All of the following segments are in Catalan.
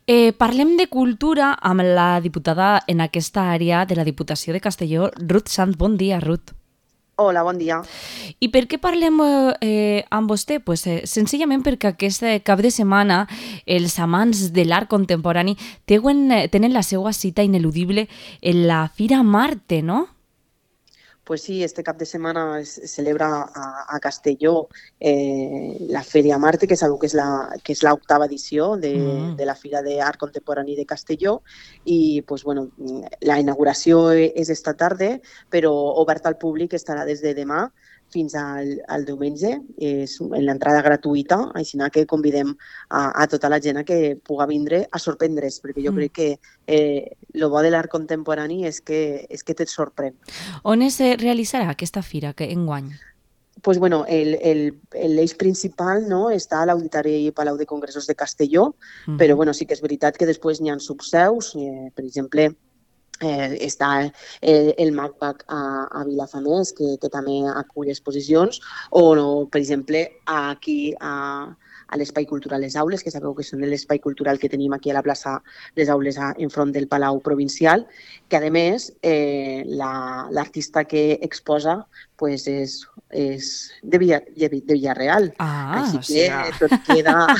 Parlem de cultura amb la diputada en aquesta àrea de la Diputació de Castelló, Ruth Sant. Bon dia, Ruth. Hola, bon dia. I per què parlem amb vostè? Senzillament perquè aquest cap de setmana els amants de l'art contemporani tenen la seva cita ineludible en la Fira Marte, no? Pues sí, este cap de setmana es celebra a Castelló la Feria Marte, que sabeu que és l'octava edició de la Fira d'Art Contemporani de Castelló, i pues, bueno, la inauguració és esta tarda, però oberta al públic estarà des de demà fins al diumenge. És l'entrada gratuïta, així que convidem a tota la gent que puga vindre a sorprendre's, perquè jo crec que el bo de l'art contemporani és que te't sorprèn. On es realitzarà aquesta fira enguany? Pues bueno, l'eix principal, no, està a l'Auditori Palau de Congressos de Castelló, però bueno, sí que és veritat que després n'hi ha subseus, per exemple, està el MACBAC a Vilafamés, que també acull exposicions, o, no, per exemple, aquí a l'Espai Cultural Les Aules, que sabeu que són l'espai cultural que tenim aquí a la plaça Les Aules enfront del Palau Provincial, que a més l'artista que exposa pues és de Villarreal. Així que tot queda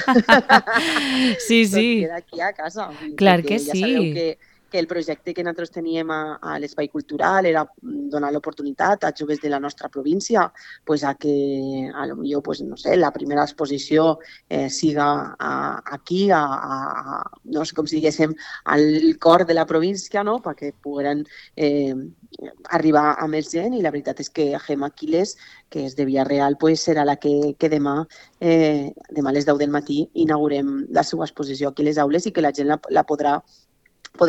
Sí, tot sí, queda aquí a casa. clar que Ja sabeu sí. que el projecte que nosaltres teníem a l'Espai Cultural era donar l'oportunitat a joves de la nostra província pues, a que, a lo millor, pues, no sé, la primera exposició siga aquí, no sé com si diguéssim, al cor de la província, no? Perquè pogueren arribar a més gent, i la veritat és que Gemma Quiles, que és de Villarreal, pues, serà la que demà a les 10 del matí inaugurem la seva exposició aquí a les aules, i que la gent la podrà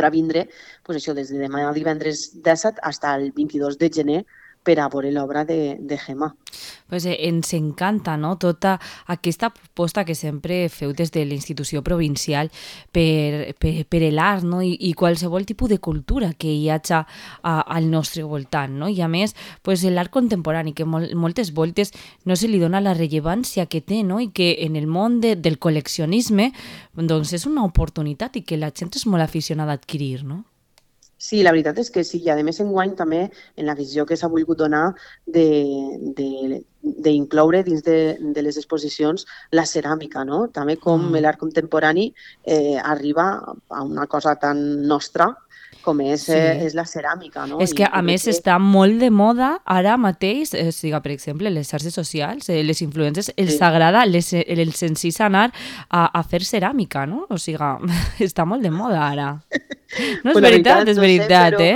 vindre pues això, des de demà divendres 17 fins al 22 de gener per a veure l'obra de Gemma. Ens encanta, no?, tota aquesta proposta que sempre feu des de la institució provincial per l'art, no?, i qualsevol tipus de cultura que hi hagi al nostre voltant, no? I a més, l'art contemporani, que moltes voltes no se li dona la rellevància que té, no?, i que en el món del col·leccionisme doncs és una oportunitat i que la gent és molt aficionada a adquirir, no? Sí, la veritat és que sí, i a més enguany també en la visió que s'ha volgut donar d'incloure dins de les exposicions la ceràmica, no? També com l'art contemporani arriba a una cosa tan nostra com és Sí. la ceràmica, no? És que, I a jo crec més, que està molt de moda ara mateix, per exemple, les xarxes socials, les influencers, els sí. agrada el senzill anar a fer ceràmica, no? O sigui, està molt de moda ara. No és Pues la veritat, veritat, és no sé, veritat, eh?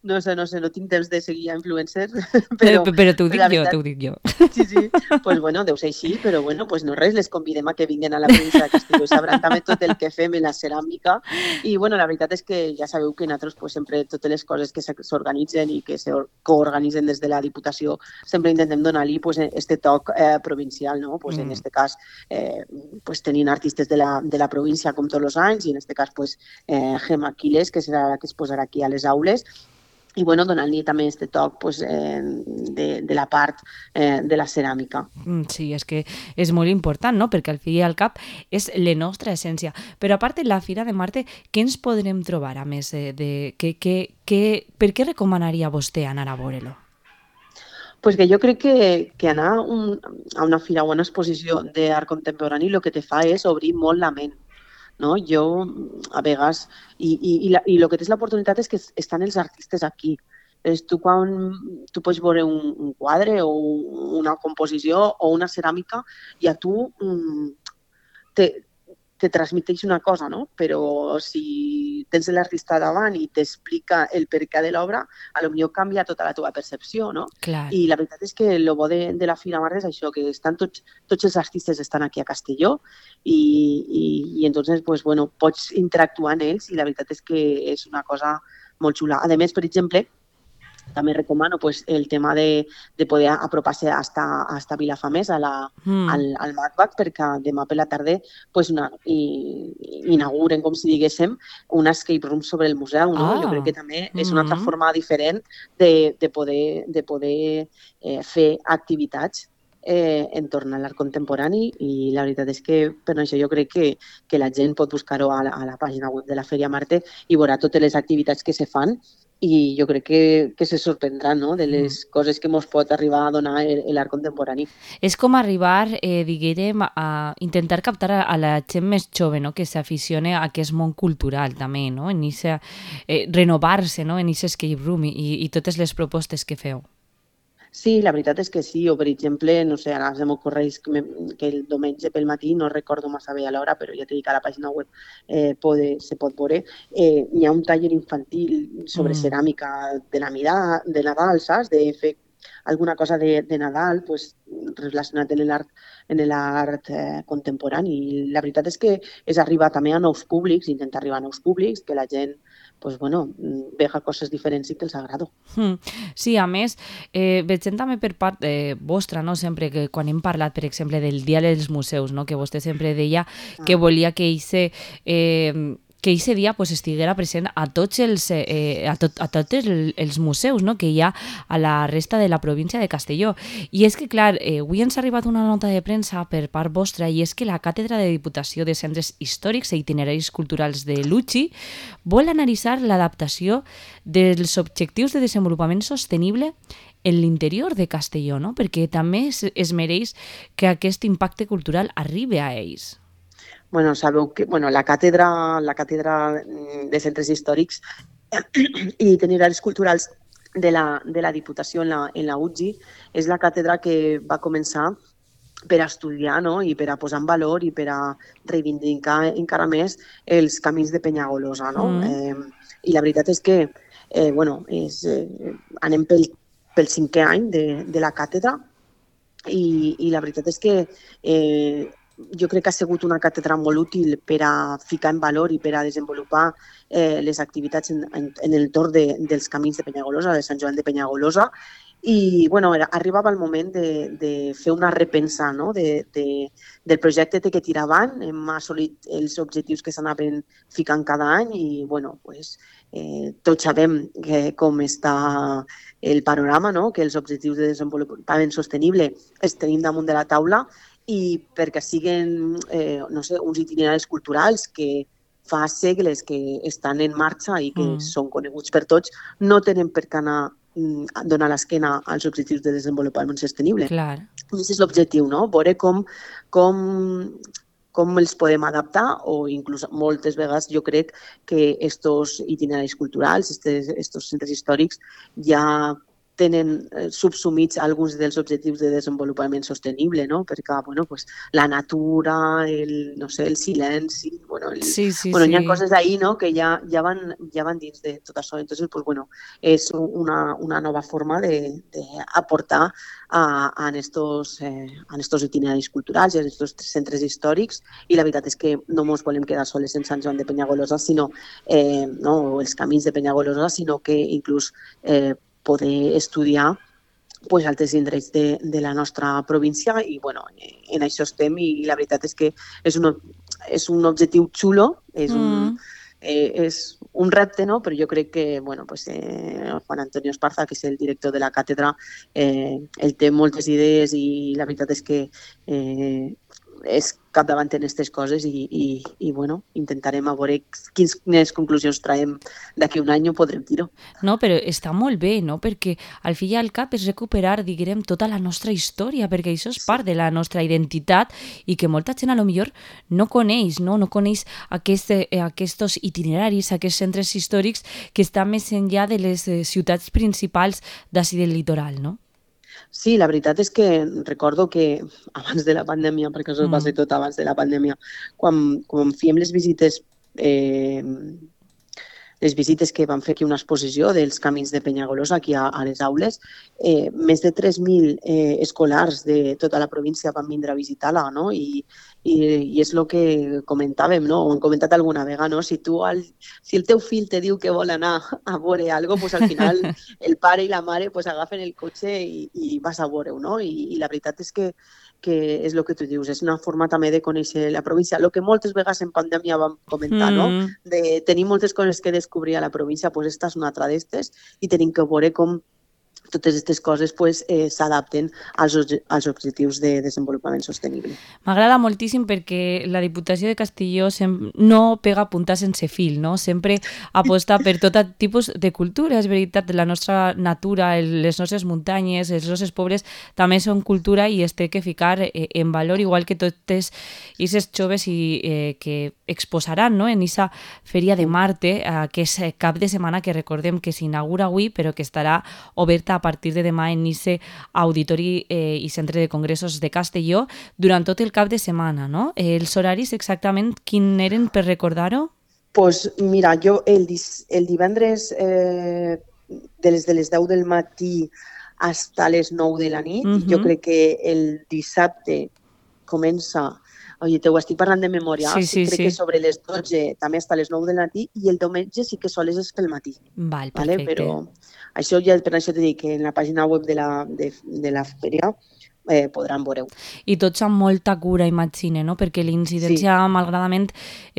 no sé, no tinc temps de seguir a influencers, però Però t'ho dic la jo, veritat, t'ho dic jo. sí, sí, pues bueno, deu ser així, però bueno, pues no res, les convidem a que vinguin a la província de Castelló i sabran també tot el que fem en la ceràmica. I bueno, la veritat és que ja sabeu que nosaltres pues, sempre totes les coses que s'organitzen i que se coorganitzen des de la Diputació sempre intentem donar-li pues, este toc provincial, no? Pues, en este cas pues, tenint artistes de la província com tots els anys, i en este cas pues, Gemma Quiles, que serà la que es posarà aquí a les aules, i bueno, donant-li també este toc pues, de la part de la ceràmica. Sí, és que és molt important, no?, perquè al fi i al cap és la nostra essència. Però a part de la Fira de Marte, què ens podrem trobar, a més per què recomanaria vostè anar a veure-lo? Pues que jo crec que anar a una fira o una exposició d'art contemporani el que te fa és obrir molt la ment. No? Jo, a vegades, i el que tens l'oportunitat és que estan els artistes aquí. Quan tu pots veure un quadre o una composició o una ceràmica, i a tu te transmeteix una cosa, no? Però si tens l'artista davant i t'explica el perquè de l'obra, potser canvia tota la teva percepció, no? Clar. I la veritat és que el bo de la Fira Marte és això, que estan tots els artistes estan aquí a Castelló, i entonces pues, bueno, pots interactuar amb ells, i la veritat és que és una cosa molt xula. A més, per exemple, també recomano pues, el tema de poder apropar-se hasta Vilafamés, al MACBAC, perquè demà per la tarda pues, inauguren, com si diguéssim, un escape room sobre el museu. No? Jo crec que també és una altra forma diferent de poder fer activitats. entorn a l'art contemporani i la veritat és que per això jo crec que la gent pot buscar-ho a la pàgina web de la Fèria Marte i veurà totes les activitats que se fan i jo crec que se sorprendrà, no?, de les coses que ens pot arribar a donar l'art contemporani. És com arribar, diguérem, a intentar captar a la gent més jove, no?, que s'aficione a aquest món cultural també, no?, en renovar-se, no?, en aquest escape room i totes les propostes que feu. Sí, la veritat és que sí, o per exemple, no sé, ara se m'ocorreix que el diumenge pel matí, no recordo massa bé a l'hora, però ja t'he dit que a la pàgina web se pot veure, hi ha un taller infantil sobre ceràmica de Nadal, saps? De fer alguna cosa de Nadal pues, relacionat en l'art contemporani. I la veritat és que és arribar també a nous públics, intentar arribar a nous públics, que la gent pues, bueno, veja coses diferents i que els agrada. Sí, a més, veiem també per part vostra, no? Sempre que quan hem parlat, per exemple, del Dia dels Museus, no? Que vostè sempre deia que volia que ese dia pues, estiguera present a tots els museus, no?, que hi ha a la resta de la província de Castelló. I és que, clar, avui ens ha arribat una nota de premsa per part vostra i és que la Càtedra de Diputació de Centres Històrics i Itineraris Culturals de l'UCI vol analitzar l'adaptació dels objectius de desenvolupament sostenible en l'interior de Castelló, no?, perquè també es mereix que aquest impacte cultural arribi a ells. Bueno, sabeu que la càtedra de centres històrics i itineraris culturals de la Diputació en la UGI és la càtedra que va començar per a estudiar, no?, i per a posar en valor i per a reivindicar encara més els camins de Penyagolosa, no? I la veritat és que anem pel 5è any de la càtedra i la veritat és que jo crec que ha sigut una càtedra molt útil per a ficar en valor i per a desenvolupar les activitats en el torn dels camins de Penyagolosa, de Sant Joan de Penyagolosa, i arribava el moment de fer una repensa, no?, del projecte que tira avant. Hem assolit els objectius que s'anaven ficant cada any i tots sabem com està el panorama, no?, que els objectius de desenvolupament sostenible els tenim damunt de la taula i perquè siguen uns itineraris culturals que fa segles que estan en marxa i que són coneguts per tots, no tenen per què anar a donar l'esquena als objectius de desenvolupament sostenible. Clar. Aquest és l'objectiu, no?, veure com els podem adaptar o inclús moltes vegades jo crec que estos itineraris culturals, estos centres històrics ja tenen subsumits alguns dels objectius de desenvolupament sostenible, no?, perquè la natura, el silenci, hi ha coses ahí, no?, que ja van dins de tot això. Entonces, és una nova forma d'aportar en estos itineraris culturals i en estos centres històrics i la veritat és que no ens volem quedar soles en Sant Joan de Penyagolosa, els camins de Penyagolosa, sinó que inclús poder estudiar altres indrets de la nostra província i en això estem i la veritat és que és un objectiu xulo, és un repte, no? Però jo crec que Juan Antonio Esparza, que és el director de la càtedra, ell té moltes idees i la veritat és que és capdavant en aquestes coses i intentarem a veure quines conclusions traiem d'aquí un any, ho podrem dir-ho. No, però està molt bé, no? Perquè al fi i al cap és recuperar, diguem, tota la nostra història, perquè això és part de la nostra identitat i que molta gent a lo millor no coneix, no coneix aquests itineraris, aquests centres històrics que estan més enllà de les ciutats principals d'ací del litoral, no? Sí, la veritat és que recordo que abans de la pandèmia, perquè això va ser tot abans de la pandèmia, quan fèiem les visites que van fer aquí una exposició dels camins de Penyagolosa aquí a les aules, més de 3.000 escolars de tota la província van vindre a visitar-la, no? I és el que comentàvem, no? Ho hem comentat alguna vegada, no? Si el teu fill te diu que vol anar a veure alguna cosa, al final el pare i la mare agafen el cotxe i vas a veure-ho, no? I la veritat és que és el que tu dius, és una forma també de conèixer la província. El que moltes vegades en pandèmia vam comentar, no? De tenir moltes coses que descobrir a la província, esta és una altra d'estes i tenim que veure com totes aquestes coses pues, s'adapten als objectius de desenvolupament sostenible. M'agrada moltíssim perquè la Diputació de Castelló no pega punta sense fil, no? Sempre aposta per tot tipus de cultura, és veritat, la nostra natura, les nostres muntanyes, els nostres pobles també són cultura i es té que ficar en valor, igual que totes aquests joves que exposaran, no?, en aquesta Fèria de Marte, que és cap de setmana que recordem que s'inaugura avui, però que estarà oberta a partir de demà en aquest auditori i centre de congressos de Castelló durant tot el cap de setmana, no? Els horaris exactament quin eren per recordar-ho? Pues mira, jo el divendres de les 10 del matí fins a les 9 de la nit, jo crec que el dissabte comença, oye, t'ho estic parlant de memòria, crec que sobre les 12 també fins a les 9 del matí i el diumenge sí que sols és pel matí. Val, perfecte. Però això ja, per això t'he dit que en la pàgina web de la fèria podran veure-ho. I tots amb molta cura, imagine, no? Perquè l'incidència, malgradament,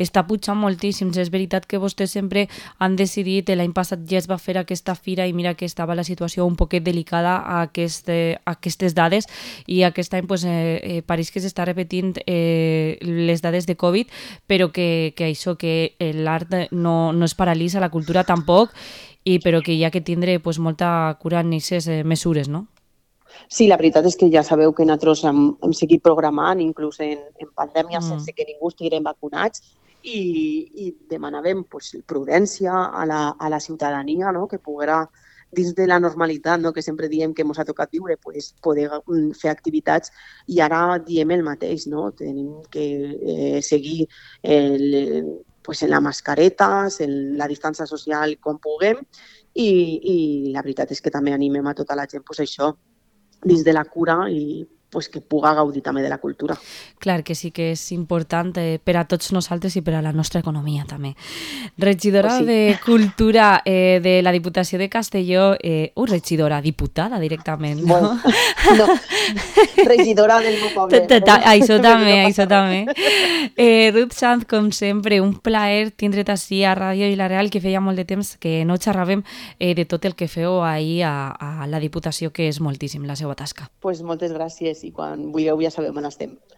està pujant moltíssim. És veritat que vostès sempre han decidit, l'any passat ja es va fer aquesta fira i mira que estava la situació un poquet delicada a aquestes dades i aquest any pues, pareix que s'està repetint les dades de Covid, però que això, que l'art no es paralitza, la cultura tampoc, però que hi ha que tindre pues, molta cura en aquestes mesures, no? Sí, la veritat és que ja sabeu que nosaltres hem seguit programant, inclús en pandèmia, sense que ningú estiguem vacunats, i demanàvem pues, prudència a la ciutadania, no?, que poguera, dins de la normalitat, no?, que sempre diem que ens ha tocat viure, pues, poder fer activitats, i ara diem el mateix, no?, tenim que seguir pues, en la mascareta, en la distància social quan puguem, i la veritat és que també animem a tota la gent pues, això, dins de la cura i pues, que puga gaudir també de la cultura. Clar que sí que és important per a tots nosaltres i per a la nostra economia també. Regidora de Cultura de la Diputació de Castelló, regidora, diputada directament, no? Bueno, no, regidora del meu poble. Això també. Ruth Sanz, com sempre, un plaer tindre't així a Ràdio i la Real, que feia molt de temps que no xerràvem de tot el que feu ahir a la Diputació, que és moltíssim la seva tasca. Pues moltes gràcies i quan vulgueu ja sabeu on estem.